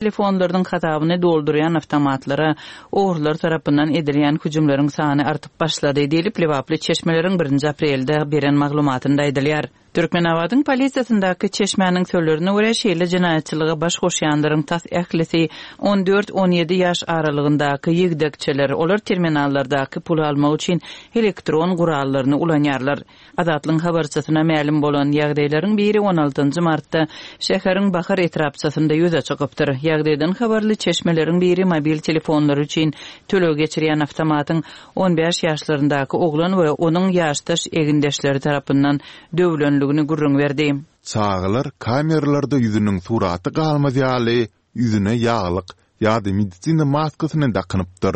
Telefonlarynyň hasabyny doldurýan awtomatlara ogrular tarapyndan edilýän hüjümleriň sany artyp başlady diýlip, lebaply çeşmeleriň birinji aprelde beren maglumatynda aýdylýar. Türkmenabadyň polisiýasyndaky çeşmäniň sözlerine görä, şeýle jenaýatçylyga baş goşýanlaryň tas ählisi on dört-on ýedi ýaş aralygyndaky ýigdekçeler, olar terminallardaky puly almak üçin elektron gurallaryny ulanýarlar. Azatlygyň habarçysyna mälim bolan ýagdaýlaryň biri on altynjy martda şäheriň Bahar etrapçasynda ýüze çykypdyr. Ýagdaýdan habarly çeşmeleriň biri mobil telefonlary üçin töleg geçirýän awtomatyň on bäş ýaşlaryndaky oglan we onuň ýaşdaş egindeşleri tarapyndan döwlenligini gürrüň berdi. Çagalar kameralarda ýüzüniň suraty galmaz ýaly, ýüzüne ýaglyk ýa-da medisina maskasyny dakynypdyr.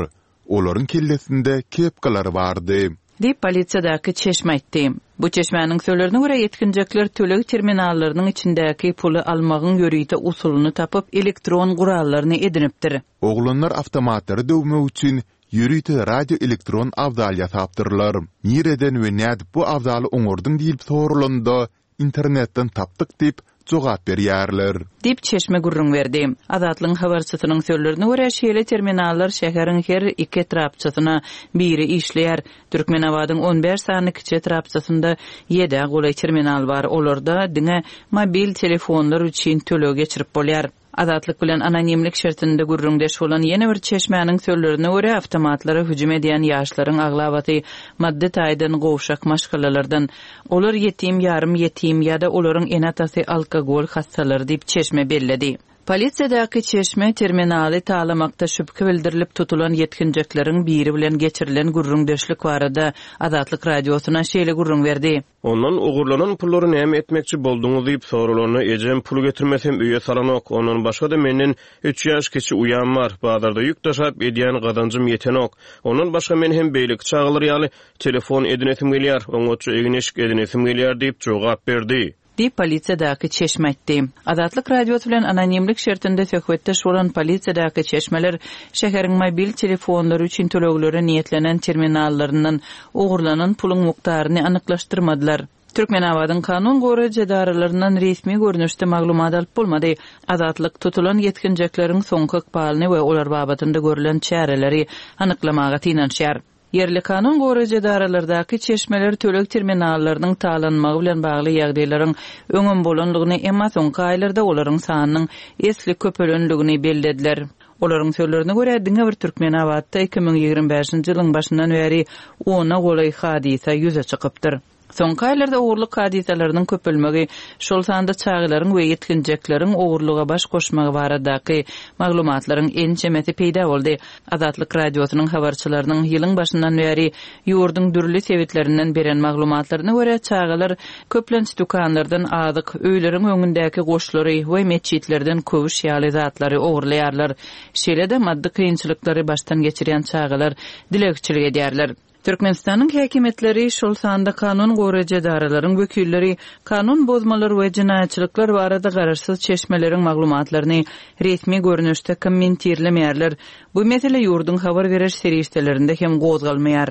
Olaryň kellesinde kepkalar bardy. Diýip, polisiýadaky çeşme aýtdy. Bu çeşmäniň sözlerine görä, ýetginjekler töleg terminallarynyň içindäki puly almagyň ýörite usulyny tapyp, elektron gurallaryny edinipdir. Oglanlar awtomatlary döwmek üçin ýörite radioelektron abzal ýasapdyrlar. Nireden we nädip bu abzaly oňardyň diýlip soralanda, Internetden tapdyk diýip, jogap berýärler. Diýip, çeşme gürrüň berdi. Azatlygyň habarçysynyň sözlerine görä, şeýle terminallar şäheriň her iki etrapçasyna biri işleýär. Türkmenabadyň on bäş sany kiçi etrapçasynda ýedä golaý terminal bar, olarda diňe mobil telefonlar üçin töleg geçirip bolýar. Azatlyk bilen anonimlik şertinde gürrüňdeş bolan ýene bir çeşmäniň sözlerine görä, awtomatlara hüjüm edýän ýaşlaryň aglabasy maddy taýdan gowşak maşgalalardan. Olar ýetim, ýarym ýetim ýa-da olaryň ene-atasy alkogol hassalary diýip, çeşme belledi. Polisiýadaky çeşme terminaly talamakda şübhe bildirilip tutulan ýetginjekleriň biri bilen geçirilen gürrüňdeşlik barada Azatlyk Radiosyna şeýle gürrüň berdi. Ondan ogurlanan pullary näme etmekçi bolduňyz diýip soralanda, ejem pul getirmesem öýe salanok, ondan başga-da menden üç ýaş kiçi uýam bar, bazarda ýük daşap edýän gazanjym ýetenok. Ondan başga men hem beýleki çagalar ýaly telefon edinesim gelýär, oňatja egin-eşik edinesim gelýär diýip jogap berdi. Diýip, polisiýadaky çeşme aýtdy. Azatlyk Radiosy bilen anonimlik şertinde söhbetdeş bolan polisiýadaky çeşmeler şäheriň mobil telefonlary üçin töleglere niýetlenen terminallaryndan ogurlanan puluň mukdaryny anyklaşdyrmadylar. Türkmenabadyň kanun goraýjy edaralaryndan resmi görnüşde maglumat alyp bolmady. Azatlyk tutulan ýetginjekleriň soňky ykbalyny we olar babatynda görlen çäreleri anyklamaga synanyşýar. Ýerli kanun goraýjy edaralardaky çeşmeler töleg terminallarynyň talanmagy bilen bagly ýagdaýlaryň öňem bolandygyny, emma soňky aýlarda olaryň sanynyň esli köpelendigini bellediler. Olaryň sözlerine görä, diňe bir Türkmenabatda 2025-nji ýylyň başyndan bäri ona golaý hadysa ýüze çykypdyr. Soňky aýlarda ogurlyk hadysalarynyň köpelmegi, şol sanda çagalaryň we ýetginjekleriň ogurlyga baş goşmagy baradaky maglumatlaryň ençemesi peýda boldy. Azatlyk Radiosynyň habarçylarynyň ýylyň başyndan bäri ýurduň dürli sebitlerinden beren maglumatlaryna görä, çagalar köplenç dükanlardan azyk, öýleriň öňündäki goşlary we metjitlerden köwüş ýaly zatlary ogurlaýarlar. Şeýle-de maddy kynçylyklary başdan geçirýän çagalar dilegçilik edýärler. Türkmenistanyň häkimiýetleri, şol sanda kanun goraýjy edaralaryň wekilleri kanun bozmalar we jenaýatçylyklar barada garaşsyz çeşmeleriň maglumatlaryny resmi görnüşde kommentirlemeýärler. Bu mesele ýurduň habar beriş serişdelerinde hem gozgalmaýar.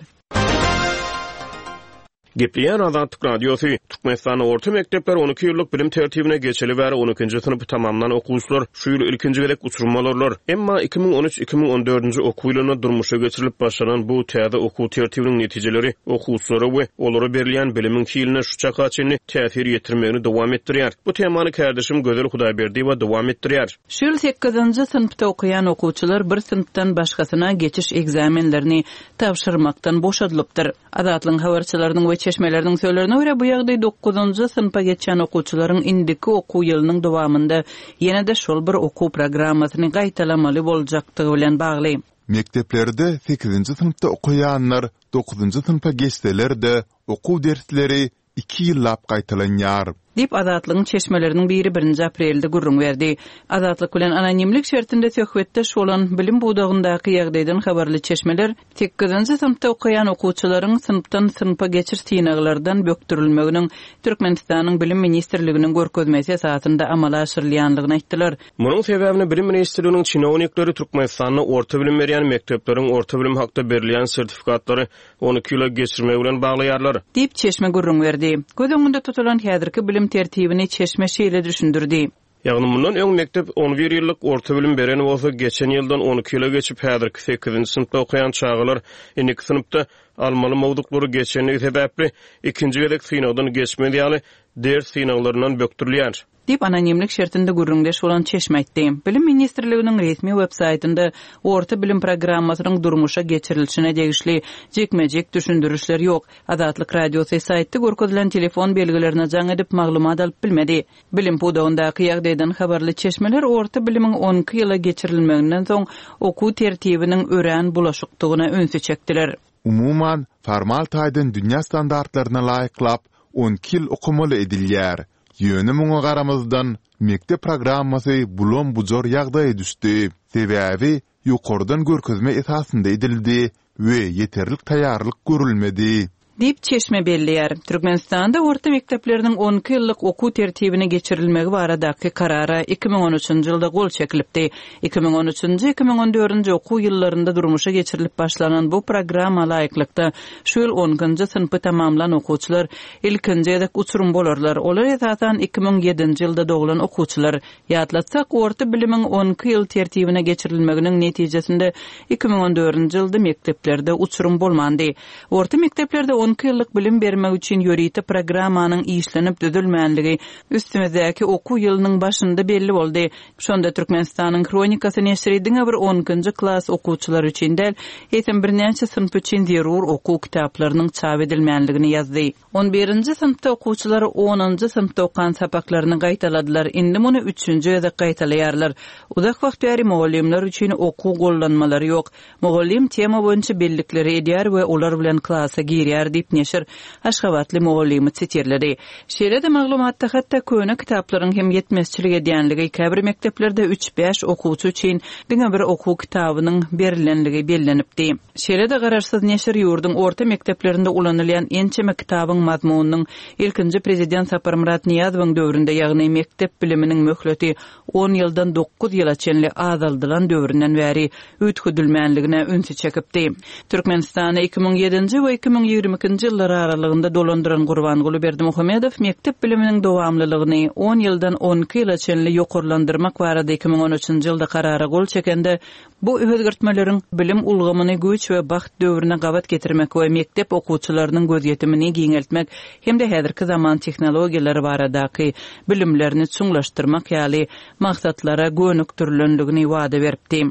Gepleýär Azatlyk Radiosy, Türkmenistanda orta mekdepler on iki ýyllyk bilim tertibine geçeli bäri on ikinji synpy tamamlan okuwçylar şu ýyl ilkinji gezek uçurym bolarlar. Emma 2013, 2014-nji okuw ýylynda durmuşa geçirilip başlanan bu täze okuw tertibiniň netijeleri okuwçylara we olara berilýän bilimiň hiline şu çaka çenli täsir ýetirmegini dowam etdirýär. Bu temany kärdeşim Gözel Hudaýberdiýewa dowam etdirýär. Şu ýyl sekizinji synpda okaýan okuwçylar bir synpdan başgasyna geçiş ekzamenlerini tabşyrmakdan boşadylypdyr. Azatlygyň habarçylarynyň we çeşmeleriniň sözlerine görä, bu ýagdaý dokuzynjy synpa geçýän okuwçylaryň indiki okuw ýylynyň dowamynda ýene-de şol bir okuw programmasyny gaýtalamaly boljakdygy bilen bagly. Mekdeplerde sekizinji synpda okaýanlar dokuzynjy synpa geçseler-de, okuw dersleri iki ýyllap gaýtalanýar. Diýip, Azatlygyň çeşmeleriniň biri birinji aprelde gürrüň berdi. Azatlyk bilen anonimlik şertinde söhbetdeş bolan, bilim pudagyndaky ýagdaýdan habarly çeşmeler sekizinji synpda okaýan okuwçylaryň synpdan synpa geçiş synaglardan bökdürilmeginiň Türkmenistanyň Bilim ministrliginiň görkezmesi esasynda amala aşyrylýandygyny aýtdylar. Munuň sebäbini Bilim ministrliginiň çinownikleri Türkmenistanda orta bilim berýän mekdepleriň orta bilim hakda berilýän sertifikatlary 12 ýyla geçirmegi bilen baglaýarlar. Diýip, çeşme gürrüň berdi. Göz öňünde tutulan häzirki bilim tertibini çeşme şeýle düşündirdi. Ýagny mundan öň mekdep on bir ýyllyk orta bilim beren bolsa, geçen ýyldan on iki ýyla geçip, häzirki sekizinji synpda okaýan çagalar indiki synpda almaly mowzuklary geçendigi sebäpli, ikinji gezek synagdan geçmez ýaly ders synaglaryndan bökdürilýär. Diýip, anonimlik şertinde gürrüňdeş bolan çeşme aýtdy. Bilim ministrliginiň resmi web-saýtynda orta bilim programmasynyň durmuşa geçirilişine degişli jikme-jik düşündirişler ýok. Azatlyk Radiosy saýtda görkezilen telefon belgilerine jaň edip, maglumat alyp bilmedi. Bilim pudagyndaky ýagdaýdan habarly çeşmeler orta bilimiň on iki ýyla geçirilmeginden soň okuw tertibiniň örän bulaşykdygyna ünsi çekdiler. Umuman, formal taýdan dünýä standartlaryna laýyklap, on iki ýyl okamaly edilýär. Ýöne muňa garamazdan, mekdep programmasy bulam-bujar ýagdaýa düşdi. Sebäbi ýokardan görkezme esasynda edildi we ýeterlik taýýarlyk görülmedi. Diýip, çeşme belleýär. Türkmenistanda orta mekdepleriniň on iki ýyllyk okuw tertibine geçirilmegi baradaky Karara 2013-nji ýylda gol çekilipdi. 2013-nji, 2014-nji okuw ýyllarynda durmuşa geçirilip başlanan bu programma laýyklykda, şu ýyl on ikinji synpy tamamlan okuwçylar ilkinji gezek uçurym bolarlar. Olar, esasan, 2007-nji ýylda doglan okuwçylar. Ýatlatsak, orta bilimiň on iki ýyl tertibine geçirilmeginiň netijesinde 2014-nji ýylda mekdeplerde uçurym bolmandy. Orta mekdeplerde on iki ýyllyk bilim bermek üçin ýörite programmanyň işlenip düzülmänligi üstümizdäki okuw ýylynyň başynda belli boldy. Şonda Türkmenistanyň Hronikasy neşiri diňe bir on ikinji klas okuwçylary üçin däl, eýsem birnäçe synp üçin zerur okuw kitaplarynyň çap edilmänligini ýazdy. On birinji synpda okuwçylar onunjy synpda okan sapaklaryny gaýtaladylar, indi muny üçünji gezek gaýtalaýarlar. Uzak wagt bäri mugallymlar üçin okuw gollanmalary ýok. Mugallym tema boýunça bellikleri edýär we olar bilen klasa girýär diýip, neşir aşgabatly mugallymy sitirledi. Şeýle-de maglumatda hatda köne kitaplaryň hem ýetmezçilik edýänligi, käbir mekdeplerde üç-bäş okuwçy üçin diňe bir okuw kitabynyň berilenligi bellenipdi. Şeýle-de garaşsyz neşir ýurduň orta mekdeplerinde ulanylýan ençeme kitabyň mazmunynyň ilkinji prezident Saparmyrat Nyýazowyň döwründe, ýagny mekdep biliminiň möhleti on ýyldan dokuz ýyla çenli azaldylan döwründen bäri üýtgedilmänligine ünsi çekipdi. Türkmenistany 2007-nji we 2022-nji ýyllar aralygynda dolandyran Gurbanguly Berdimuhamedow mekdep biliminiň dowamlylygyny on ýyldan on iki ýyla çenli ýokarlandyrmak barada 2013-nji ýylda karara gol çekende, Bu özgertmeleriň bilim ulgamyny güýç we bagt döwrüne gabat getirmek we mekdep okuwçylarynyň gözýetimini giňeltmek hem-de häzirki zaman tehnologiýalary baradaky bilimlerini çuňlaşdyrmak ýaly maksatlara gönükdirilendigini wada beripdi.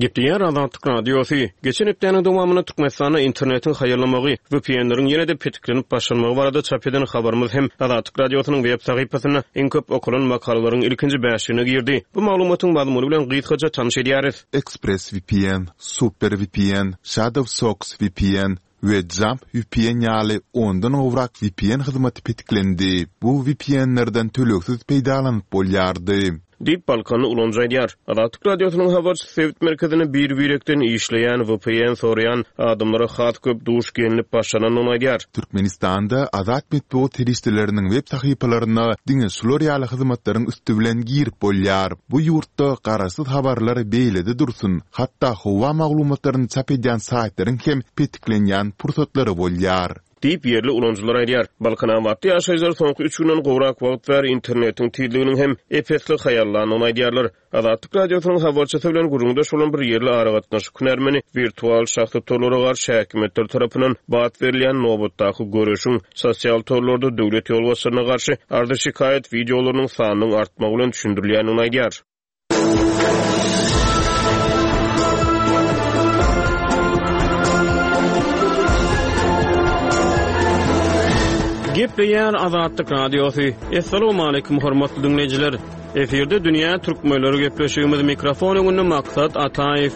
Gepleýär Azatlyk Radiosy. Geçen hepdäniň dowamynda Türkmenistanda internetiň haýallamagy, VPN-leriň ýene-de petiklenip başlanmagy barada çap eden habarymyz hem Azatlyk Radiosynyň web sahypasynda iň köp okalan makalalaryň ilkinji bäşligine girdi. Bu maglumatyň mazmuny bilen gysgaça tanyş edýäris. ExpressVPN, SuperVPN, ShadowSocks VPN we Jump VPN ýaly ondan gowrak VPN hyzmaty petiklendi. Bu VPN-lerden tölegsiz peýdalanyp bolýardy. Diýip, balkanly ulanyjy aýdýar. Azatlyk Radiosynyň habarçysy sebit merkezinde bir-birekden işleýän vpn soraýan adamlara has köp duş gelnip başlanandygyny aýdýar. Türkmenistanda azat metbugat serişdeleriniň web sahypalaryna diňe şular ýaly hyzmatlaryň üsti bilen girip bolýar. Bu ýurtda garaşsyz habarlar beýlede dursun, hatda howa maglumatlaryny çap edýän saýtlaryň hem petiklenýän pursatlary bolýar. Diýip, ýerli ulanyjylar aýdýar. Balkanabatly ýaşaýjylar soňky üç günden gowrak wagt bäri internetiň tizliginiň hem ep-esli haýallandygyny aýdýarlar. Azatlyk Radiosynyň habarçysy bilen gürrüňdeş bolan bir ýerli aragatnaşyk hünärmeni wirtual şahsy torlara garşy häkimiýetler tarapyndan bat berilýän nobatdaky göreşiň sosial torlarda döwlet ýolbaşçylaryna garşy arzy-şikaýat wideolarynyň sanynyň artmagy bilen düşündirilýändigini aýdýar. Gepleýär Azatlyk Radiosy. Assalamualaikum hormatly diňleýjiler. Efirde dünýä türkmenleri gepleşigimiz mikrofon öňünde Maksat Ataýew.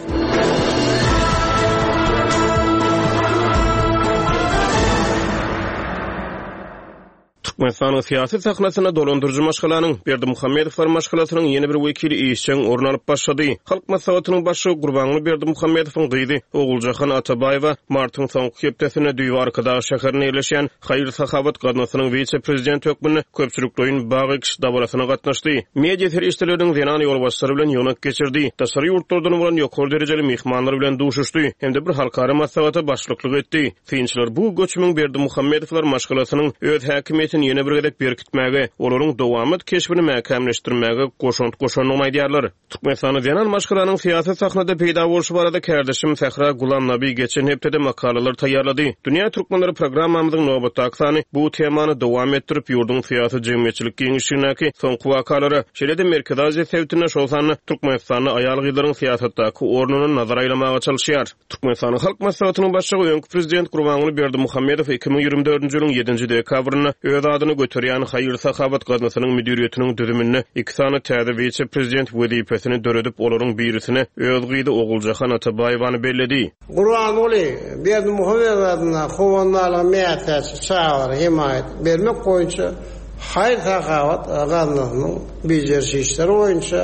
Türkmenistanyň syýasy sahnasynda dolandyryjy maşgalanyň, Berdimuhamedowlar maşgalasynyň ýene bir wekili işjeň orun alyp başlady. Halk Maslahatynyň başlygy Gurbanguly Berdimuhamedowyň gyzy Oguljahan Atabaýewa martyň soňky hepdesinde düýbi Arkadag şäherinde ýerleşýän Haýyr-sahawat gaznasynyň wise-prezidenti hökmünde köpçülikleýin bag ekiş dabarasyna gatnaşdy. Media serişdeleriniň zenan ýolbaşçylary bilen ýygnak geçirdi, daşary ýurtlardan bolan ýokary derejeli myhmanlar bilen duşuşdy hem-de bir halkara maslahata başlyklyk etdi. Synçylar bu göçümiň Berdimuhamedowlar maşgalasynyň öz häkimiýetini. ýene bir gezek berkitmäge, olaryň dowamat keşbini mäkämleşdirmäge goşant goşandygyny aýdýarlar. Türkmenistanda zenan maşgalanyň syýasy sahnada peýda bolşy barada kärdeşim Sähra Gulamnabi geçen hepdede makalalar taýýarlady. Dünýä türkmenleri programmamyzyň nobatdaky sany bu temany dowam etdirip, ýurduň syýasy-jemgyýetçilik giňişligindäki soňky wakalara, şeýle-de Merkezi Aziýa sebitinde, şol sanda Türkmenistanda aýal-gyzlaryň syýasatdaky ornuna nazar aýlamaga çalyşýar. Türkmenistanyň Halk Maslahatynyň Başlygy, öňki Prezident Gurbanguly Berdimuhamedow 2024-nji ýylyň ýedinji dekabrynda öz adyny göterýän haýyr-sahawat gaznasynyň müdiriýetiniň düzüminde iki sany täze wise-prezident wezipesini döredip, olaryň birisine öz gyzy Oguljahan Atabaýewany belledi. Gurbanguly Berdimuhamedow adyndaky Howandarlyga mätäç çagalara hemaýat bermek boýunça haýyr-sahawat gaznasynyň bejeriş işleri boýunça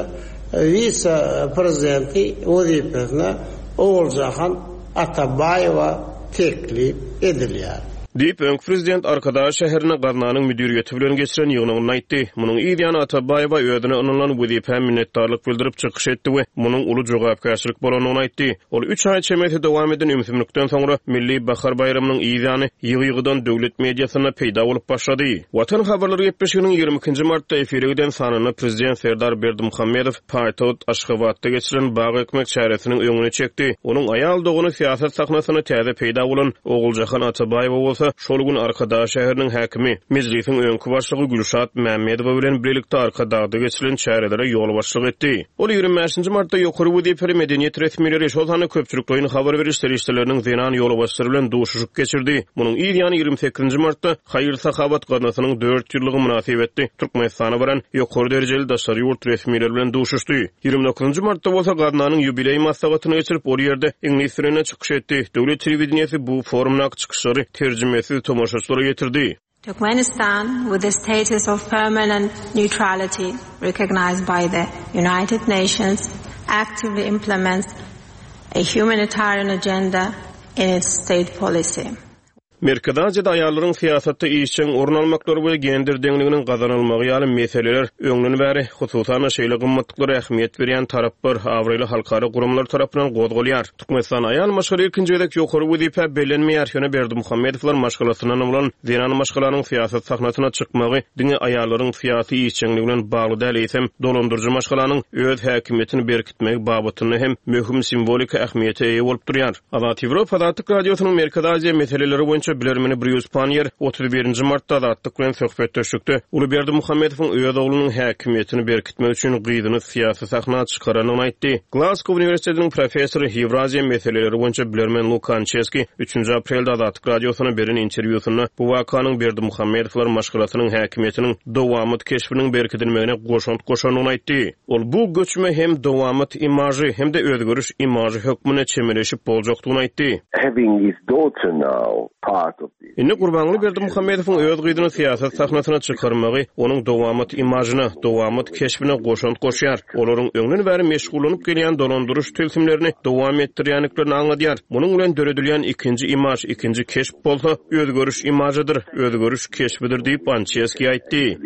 wise-prezidenti wezipesine Oguljahan Atabaýewa teklip edilýär. Diýip, öňki prezident Arkadag şäherinde gaznanyň müdiriýeti bilen geçiren ýygnagynda aýtdy. Munuň yz ýany Atabaýewa özüne ynanylan wezipä minnetdarlyk bildirip çykyş etdi we munuň uly jogapkärçilik bolandygyny aýtdy. Ol üç aý çemesi dowam eden ümsümlikden soňra Milli bahar baýramynyň yz ýany ýygy-ýygydan döwlet mediasynda peýda bolup başlady. Watan habarlary gepleşiginiň 22 nji martda efire giden sanynda prezident Serdar Berdimuhamedow paýtagt Aşgabatda geçirilen bag ekmek çäresiniň öňüni çekdi. Onuň aýal dogany syýasat sahnasynda täze peýda bolan Oguljahan Atabaýewa bolsa şol gün Arkadag şäheriniň häkimi, Mejlisiň öňki başlygy Gülşat Mämmedowa bilen bilelikde Arkadagda geçirilen çärelere ýolbaşçylyk etdi. Ol 25 nji martda ýokary wezipeli medeniýet resmileri, şol sanda köpçülikleýin habar beriş serişdeleriniň zenan ýolbaşçylary bilen duşuşyk geçirdi. Munuň yz ýany 28 nji martda Haýyr-sahawat gaznasynyň dört ýyllygy mynasybetli Türkmenistana baran ýokary derejeli daşary ýurt resmileri bilen duşuşdy. 29 nji martda bolsa gaznanyň ýubileý maslahatyny geçirip, ol ýerde iňlis dilinde çykyş etdi. Döwlet telewideniýesi bu forumdaky çykyşlary terjimesiz tomaşaçylara ýetirdi. Turkmenistan with the status of permanent neutrality recognized by the United Nations actively implements a humanitarian agenda in its state policy. Merkezi Aziýada aýallaryň syýasatda işjeň orun almaklary we gender deňliginiň gazanylmagy ýaly meseleler öňden bäri, hususan-da, şeýle gymmatlyklara ähmiýet berýän taraplar, abraýly halkara guramalar tarapyndan gozgalýar. Türkmenistanda aýal maşgala ilkinji gezek ýokary wezipä bellenmeýär, ýöne Berdimuhamedowlar maşgalasyndan bolan zenan maşgalanyň syýasat sahnasyna çykmagy diňe aýallaryň syýasy işjeňligi bilen bagly däl, eýsem, dolandyryjy maşgalanyň öz häkimiýetini berkitmegi babatynda hem möhüm simwoliki ähmiýete eýe bolup durýar. Azat Ýewropa Azatlyk Radiosynyň Merkezi Aziýa meseleleri boýunça bilermeni Brýus Panniýer 31 nji martda Azatlyk bilen söhbetdeşlikde uly Berdimuhamedowyň öz oglunyň häkimiýetini berkitmek üçin gyzyny syýasy sahna çykarandygyny aýtdy. Glasgow uniwersitetiniň professory, Ýewraziýa meseleleri boýunça bilermen Luka Ançeski üçünji aprelde Azatlyk Radiosyna beren interwýusynda bu wakanyň Berdimuhamedowlar maşgalasynyň häkimiýetiniň dowamat keşbiniň berkidilmegine goşant goşandygyny aýtdy. Ol bu göçüme hem dowamat imažy, hem-de özgeriş imažy hökmünde çemeleşip boljakdygyny aýtdy. Having his daughter now part of this. Indi Gurbanguly Berdimuhamedowyň öz gyzyny syýasat sahnasyna çykarmagy onuň dowamat imažyna, dowamat keşbine goşant goşýar, olaryň öňden bäri meşgullanyp gelýän dolandyryş tilsimlerini dowam etdirýändiklerini aňladýar. Munuň bilen döredilýän ikinji imaž, ikinji keşp bolsa özgeriş imažydyr, özgeriş keşbidir diýip, Ançeski aýtdy.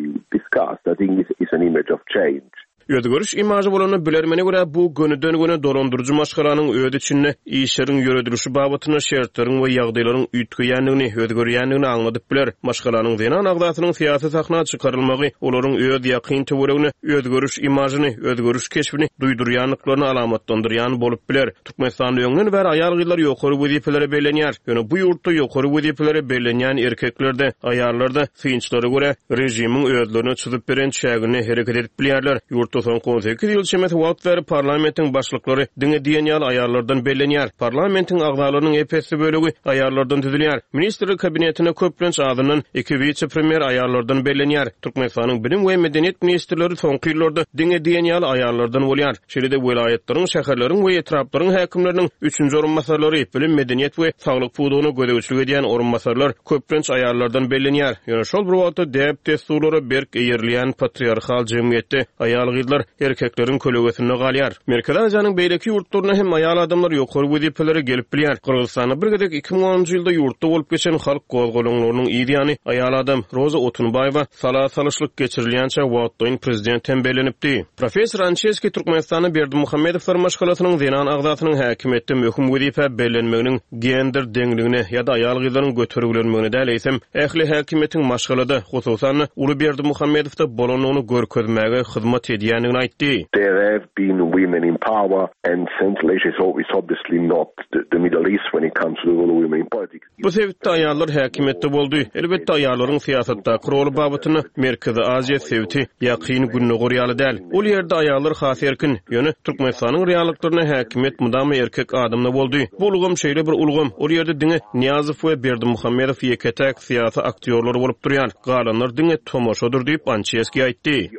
Özgeriş imažy bolanda, bilermene görä, bu gönüden-göni dolandyryjy maşgalanyň öz içinde işleriň ýöredilişi babatynda şertleriň we ýagdaýlaryň üýtgeýändigini, özgerýändigini aňladyp biler. Maşgalanyň zenan agzasynyň syýasy sahna çykarylmagy olaryň öz ýakyn töweregine özgeriş imažyny, özgeriş keşbini duýdurýandyklaryny alamatlandyrýan bolup biler. Türkmenistanda öňden bäri aýal-gyzlar ýokary wezipelere bellenýär. Ýöne bu ýurtda ýokary wezipelere bellenýän erkekler-de, aýallar-da, synçylara görä, režimiň özlerine çyzyp beren çäginde hereket edip bilýärler. Ýurtda soňky 18 ýyl çemesi wagt bäri parlamentiň başlyklary diňe diýen ýaly aýallardan bellenýär. Parlamentiň agzalarynyň ep-esli bölegi aýallardan düzülýär. Ministrler Kabinetine köplenç azyndan iki wise-premýer aýallardan bellenýär. Türkmenistanyň bilim we medeniýet ministrleri soňky ýyllarda diňe diýen ýaly aýallardan bolýar. Şeýle-de welaýatlaryň, şäherleriň we etraplaryň häkimleriniň üçünji orunbasarlary, bilim, medeniýet we saglyk pudagyna gözegçilik edýän orunbasarlar köplenç aýallardan bellenýär. Ýöne şol bir wagtda däp-dessurlara berk eýerilýän patriarhal jemgyýetde aýal-gyzlar. gyzlar erkekleriň kölegesinde galýar. Merkezi Aziýanyň beýleki ýurtlarynda hem aýal adamlar ýokary wezipelere gelip bilýär. Gyrgyzystanda bir gezek 2010-njy ýylda ýurtda bolup geçen halk gozgalaňlarynyň yz ýany aýal adam Roza Otunbaýewa sala salyşlyk geçirilýänçä wagtlaýyn prezident hem bellenipdi. Professor Ançeskiý Türkmenistanda Berdimuhamedowlar maşgalasynyň zenan agzasynyň häkimiýetde möhüm wezipä bellenmeginiň gender deňligine ýa-da aýal-gyzlaryň götergilenmegine däl, eýsem, ähli häkimiýetiň maşgalada, hususan-da, uly Berdimuhamedowda bolandygyny görkezmäge hyzmat edýändigini aýtdy. There have been women in power and Central Asia is obviously not the Middle East when it comes to the role of women in politics. Bu sebitde aýallar häkimiýetde boldy. Elbetde, aýallaryň syýasatdaky roly babatynda Merkezi Aziýa sebiti Ýakyn Gündogar ýaly däl. Ol ýerde aýallar has erkin. Ýöne Türkmenistanyň reallyklarynda häkimiýet mydama erkek adamda boldy. Bu ulgam şeýle bir ulgam, ol ýerde diňe Nyýazow we Berdimuhamedow ýeke-täk syýasy aktýorlar bolup durýar. Galanlar diňe tomaşadyr diýip, Ançeskiý aýtdy.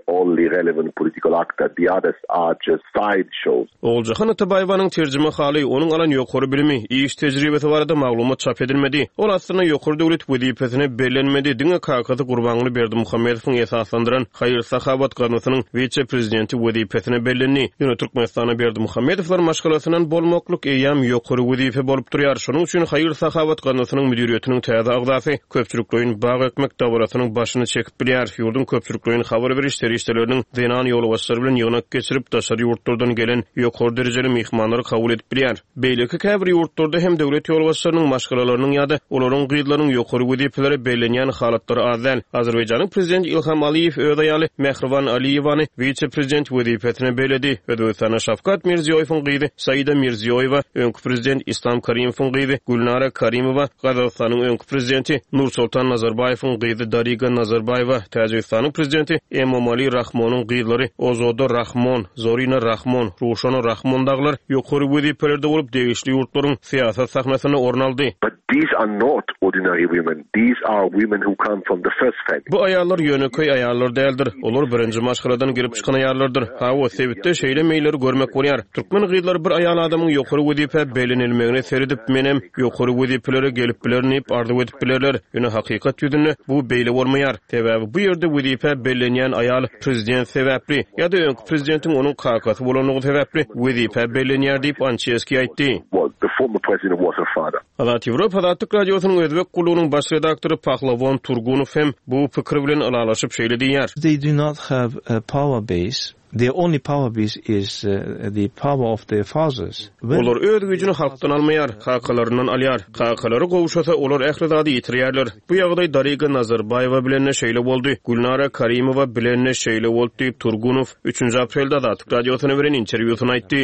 Oguljahan Atabaýewanyň terjimehaly, onuň alan ýokary bilimi, iş tejribesi barada maglumat çap edilmedi. Ol aslynda ýokary döwlet wezipesine bellenmedi, diňe kakasy Gurbanguly Berdimuhamedowyň esaslandyran haýyr-sahawat gaznasynyň wise-prezidenti wezipesine bellendi. Ýöne Türkmenistanda Berdimuhamedowlar maşgalasyndan bolmaklyk eýýäm ýokary wezipe bolup durýar. Şonuň üçin haýyr-sahawat gaznasynyň müdiriýetiniň täze agzasy köpçülikleýin bag ekmek dabarasynyň başyny çekip bilýär. Ýurduň köpçülikleýin habar beriş serişdeleriniň zenan ýolbaşçylary bilen ýygnak geçirip, daşary ýurtlardan gelen ýokary derejeli myhmanlary kabul edip bilýär. Beýleki käbir ýurtlarda hem döwlet ýolbaşçylarynyň maşgalalarynyň ýa-da olaryň gyzlarynyň ýokary wezipelere bellenýän halatlary az däl. Azerbaýjanyň prezidenti Ilham Aliýew öz aýaly Mähriban Aliýewany wise-prezident wezipesine belledi. Özbegistanda Şawkat Mirziýoýewiň gyzy Saida Mirziýoýewa, öňki prezident Islam Karimowyň gyzy Gülnara Karimowa, Gazagystanyň öňki prezidenti Nursoltan Nazarbaýewiň gyzy Dariga Nazarbaýewa, Täjigistanyň prezidenti Emomali Rahmonyň gyzlary Ozoda Rahmon, Zorina Rahmon, Ruşona Rahmon dagylar ýokary wezipelerde bolup, degişli ýurtlaryň syýasat sahnasynda orun aldy. But these are not ordinary women, these are women who come from the first family. Bu aýallar ýönekeý aýallar däldir. Olar birinji maşgaladan gelip çykan aýallardyr. Hawa, sebitde şeýle meýilleri görmek bolýar. Türkmen gyzlary bir aýal adamyň ýokary wezipä bellenilmegine seredip, menem ýokary wezipelere gelip bilerin diýip arzuw edip bilerler. Ýöne hakykat ýüzünde bu beýle bolmaýar. Sebäbi bu ýerde wezipä bellenýän aýal prezident sebäpli ýa-da öňki prezidentiň onuň kakasy bolanlygy sebäpli wezipä bellenýär diýip, Ançeskiý aýtdy. Azat Ýewropa Azatlyk Radiosynyň Özbek gullugynyň baş redaktory Pahlawon Turgunow hem bu pikir bilen ylalaşyp şeýle diýýär. They do not have a power base. Their only power base is the power of their fathers. When. Olar öz güýjüni halkdan almaýar, kakalaryndan alýar. Kakalary gowşasa, olar ähli zady ýitirýärler. Bu ýagdaý Dariga Nazarbaýewa bilen-de şeýle boldy, Gülnara Karimowa bilen-de şeýle boldy diýip, Turgunow üçünji aprelde Azatlyk Radiosyna beren interwýusynda aýtdy.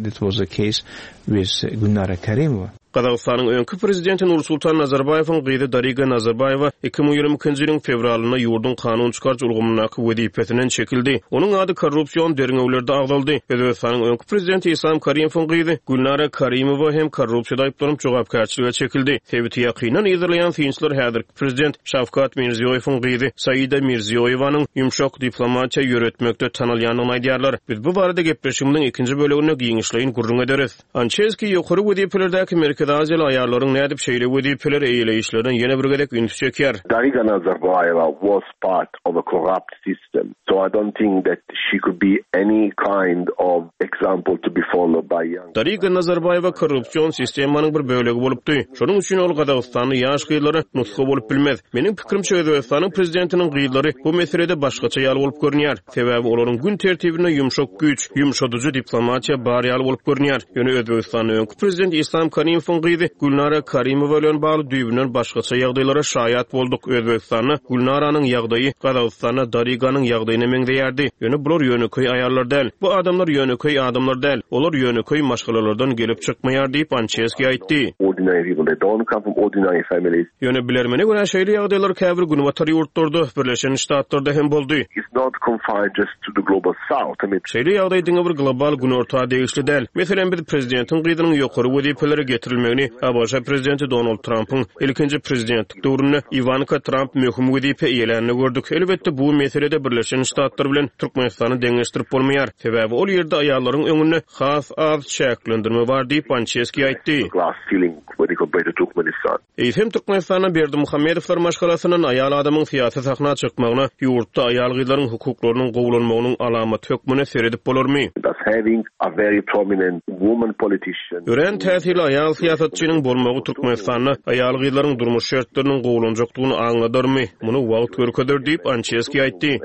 That was the case with Gülnara Karimowa. Gazagystanyň öňki prezidenti Nursultan Nazarbaýewiň gyzy Dariga Nazarbaýewa 2022-nji ýylyň fewralynda ýurduň kanun çykaryjy ulgamyndaky wezipesinden çekildi. Onuň ady korrupsion derňewlerde agzaldy. Özbegistanyň öňki prezidenti Islam Karimowyň gyzy Gülnara Karimowa hem korrupsiýada aýyplanyp jogapkärçilige çekildi. Sebiti ýakyndan yzarlaýan synçylar häzirki prezident Şawkat Mirziýoýewiň gyzy Saida Mirziýoýewanyň ýumşak diplomatiýa ýöretmekde tanalýandygyny aýdýarlar. Biz bu barada gepleşigimiziň ikinji böleginde giňişleýin gürrüň ederis. Ançeskiý ýokary wezipelerdäki Merkezi Aziýaly aýallaryň nädip şeýle wezipeleri eýeleýişlerine ýene bir gezek ünsi çekýär. Dariga Nazarbaýewa was part of a corrupt system, so I don't think that she could be any kind of example to be followed by young. Dariga Nazarbaýewa korrupsion sistemanyň bir bölegi bolupdy. Şonuň üçin ol gazagystanly ýaş gyzlara nusga bolup bilmez. Meniň pikirimçe Özbegistanyň prezidentiniň gyzlary bu meselede başgaça ýaly bolup görünýär. Sebäbi olaryň gün tertibinde ýumşak güýç, ýumşadyjy diplomatiýa bar ýaly bolup görünýär. Ýöne Özbegistanda öňki prezident Islam Karimowyň gyzy Gülnara Karimowa bilen bagly düýbünden başgaça ýagdaýlara şaýat bolduk. Özbegistanda Gülnaranyň ýagdaýy Gazagystanda Dariganyň ýagdaýyna meňzeýärdi. Ýöne bular ýönekeý aýallar däl. Bu adamlar ýönekeý adamlar däl. Olar ýönekeý maşgalalardan gelip çykmaýar diýip, Ançeskiý aýtdy. Ýöne bilermene görä şeýle ýagdaýlar käbir günbatar ýurtlarda, Birleşen Ştatlarda hem boldy. Şeýle ýagdaý diňe bir global günorta degişli däl. Meselem, biz prezidentiň gyzynyň ýokary wezipelere getirilmegini. getirilmegini ABŞ prezidenti Donald Trampyň ilkinji prezidentlik döwründe Iwanka Tramp möhüm wezipe eýelände gördük. Elbetde, bu meselede Birleşen Ştatlar bilen Türkmenistany deňeşdirip bolmaýar. Sebäbi ol ýerde aýallaryň öňünde has az çäklendirme bar diýip, Ançeski aýtdy. Eýsem, Türkmenistanda Berdimuhamedowlar maşgalasyndan aýal adamyň syýasy sahna çykmagyna ýurtda aýal-gyzlaryň hukuklarynyň gowulanmagynyň alamaty hökmünde seredip bolarmy? Örän täsirli aýal syýasatçynyň bolmagy Türkmenistanda aýal-gyzlaryň durmuş şertleriniň gowulanjakdygyny aňladarmy? Muny wagt görkezer diýip, Ançeski aýtdy.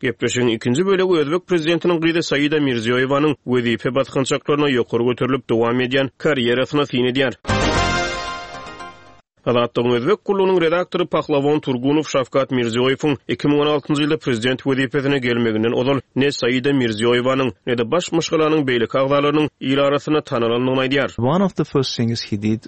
Gepleşigiň ikinji bölegi özbek prezidentiniň gyzy Saida Mirziýoýewanyň wezipe basgançaklaryna ýokary göterilip dowam edýän karýerasyna syn edýär. Azatlygyň Özbek gullugynyň redaktory Pahlawon Turgunow Şawkat Mirziýoýewiň 2016-njy ýylda prezident wezipesine gelmeginden ozal ne Saida Mirziýoýewanyň, ne-de baş maşgalanyň beýleki agzalarynyň il arasynda tanalandygyny aýdýar. One of the first things he did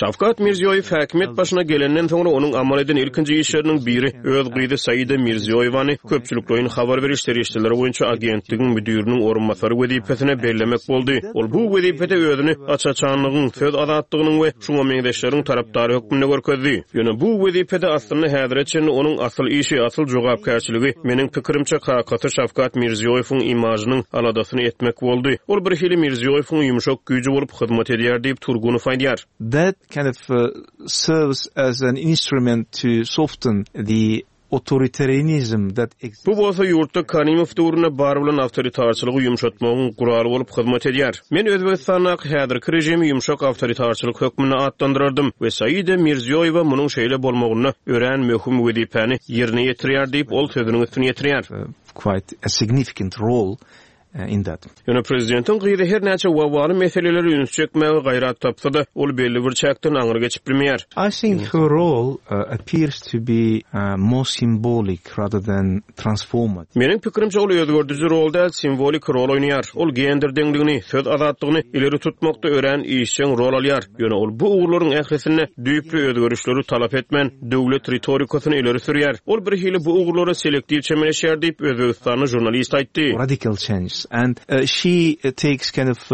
Şawkat Mirziýoýew häkimiýet başyna gelenden soňra onuň amal eden ilkinji işleriniň biri öz gyzy Saida Mirziýoýewany köpçülikleýin habar beriş serişdeleri boýunça agentligiň müdiriniň orunbasary wezipesine bellemek boldy. Ol bu wezipede özüni aç-açanlygyň, söz azatlygynyň we şuňa meňzeşleriň tarapdary hökmünde görkezdi. Ýöne bu wezipede aslynda häzire çenli onuň asyl işi, asyl jogapkärçiligi, meniň pikirimçe, kakasy Şawkat Mirziýoýewiň imažynyň aladasyny etmek boldy. Ol birhili Mirziýoýewiň ýumşak güýji bolup hyzmat edýär diýip, Turgunow aýdýar. That kind of serves as an instrument to soften the authoritarianism that exists. Bu bolsa ýurtda Karimow döwründe bar bolan awtoritarçylygy ýumşatmagyň guraly bolup hyzmat edýär. Men Özbegistandaky häzirki režimi ýumşak awtoritarçylyk hökmünde atlandyrardym we Saida Mirziýoýewa munuň şeýle bolmagynda örän möhüm wezipäni ýerine ýetirýär diýip, ol sözüniň üstüni ýetirýär. Quite a significant role in that. Ýöne prezidentiň gyzy her näçe wawwaly meselelere üns çekmäge gaýrat tapsa-da, ol belli bir çäkden aňry geçip bilmeýär. I think her role appears to be more symbolic rather than transformative. Meniň pikirimçe, ol özgerdiji rol däl, simwolik rol oýnaýar. Ol gender deňligini, söz azatlygyny ileri tutmakda örän işjeň rol alýar. Ýöne ol bu ugurlaryň ählisinde düýpli özgerişleri talap etmän, döwlet ritorikasyny ileri sürýär. Ol birhili bu ugurlara selektiw çemeleşýär diýip, özbegistanly žurnalist aýtdy. Radical changes and she takes kind of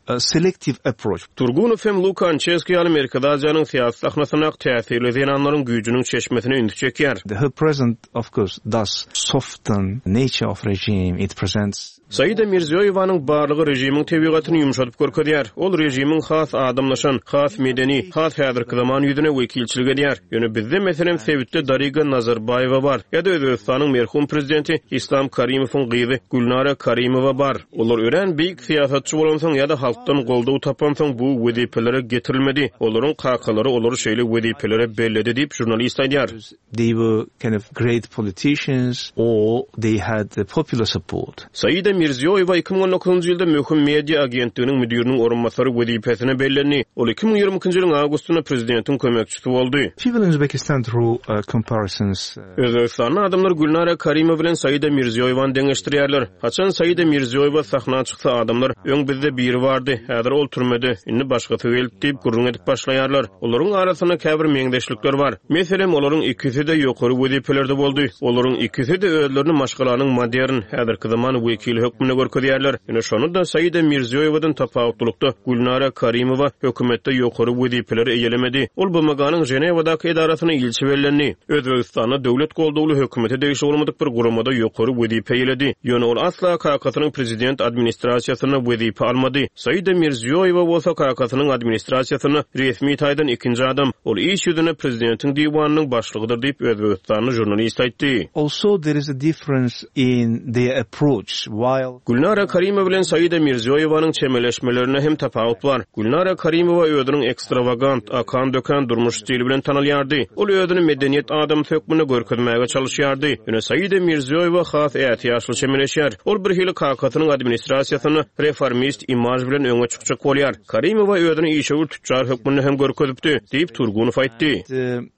a selective approach. Turgunow hem Luka Ançeski ýaly Merkezi Aziýanyň syýasy sahnasyndaky täsirli zenanlaryň güýjüniň çeşmesine ünsi çekýär. Her presence of course does soften nature of regime, it presents. Saida Mirziýoýewanyň barlygy režimiň tebigatyny ýumşadyp görkezýär. Ol režimiň has adamlaşan, has medeni, has häzirki zaman ýüzüne wekilçilik edýär. Ýöne bizde, meselem, sebitde Dariga Nazarbaýewa bar ýa-da Özbegistanyň merhum prezidenti Islam Karimowyň gyzy Gülnara Karimowa bar. Olar örän beýik syýasatçy bolansoň ýa-da halkdan goldaw tapansoň bu wezipelere getirilmedi. Olaryň kakalary olary şeýle wezipelere belledi diýip, žurnalist aýdýar. They were kind of great politicians or they had popular support. Saida Mirziýoýewa 2019-njy ýylda möhüm media agentliginiň müdiriniň orunbasary wezipesine bellendi. Ol 2022-nji ýylyň awgustynda prezidentiň kömekçisi boldy. People in Uzbekistan draw comparisons. Özbegistanda adamlar Gülnara Karimowa bilen Saida Mirziýoýewany deňeşdirýärler. Haçan Saida Mirziýoýewa sahna çyksa adamlar, Öň bizde biri bardy, häzir ol türmede, indi başgasy geldi diýip gürrüň edip başlaýarlar. Olaryň arasynda käbir meňzeşlikler bar. Meselem, olaryň ikisi-de ýokary wezipelerde boldy. Olaryň ikisi-de özlerini maşgalanyň modern, häzirki zaman wekili hökmünde görkezýärler. Ýöne şonda-da Saida Mirziýoýewadan tapawutlylykda Gülnara Karimowa hökümetde ýokary wezipeleri eýelemedi. Ol BMG-niň Ženewadaky edarasyna ilçi bellendi. Özbegistanda döwlet goldawly hökümete degişli bolmadyk bir guramada ýokary wezipe eýeledi. Ýöne ol asla kakasynyň prezident administrasiýasynda wezipe almady. Saida Mirziýoýewa bolsa kakasynyň administrasiýasynda resmi taýdan ikinji adam. Ol iş ýüzünde prezidentiň diwanynyň başlygydyr diýip, özbegistanly žurnalist aýtdy. Also there is a difference in their approach while. Gülnara Karimowa bilen Saida Mirziýoýewanyň çemeleşmelerinde hem tapawut bar. Gülnara Karimowa özüniň ekstrawagant, akan-dökän durmuş stili bilen tanalýardy. Ol özüni medeniýet adamsy hökmünde görkezmäge çalyşýardy. Ýöne Saida Mirziýoýewa has ätiýaçly çemeleşýär. Ol birhili kakasynyň administrasiýasynda reformist imaž bilen öňe çykjak bolýar. Karimowa özüni işewür tüçjar hökmünde hem görkezipdi, diýip, Turgunow aýtdy.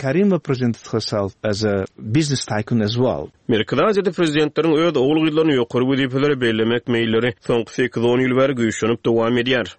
Karimova presented herself as a business tycoon as well. Merkezi Aziýada prezidentleriň öz ogul-gyzlaryny ýokary wezipelere bellemek meýilleri soňky sekiz-on ýyl bäri güýçlenip dowam edýär.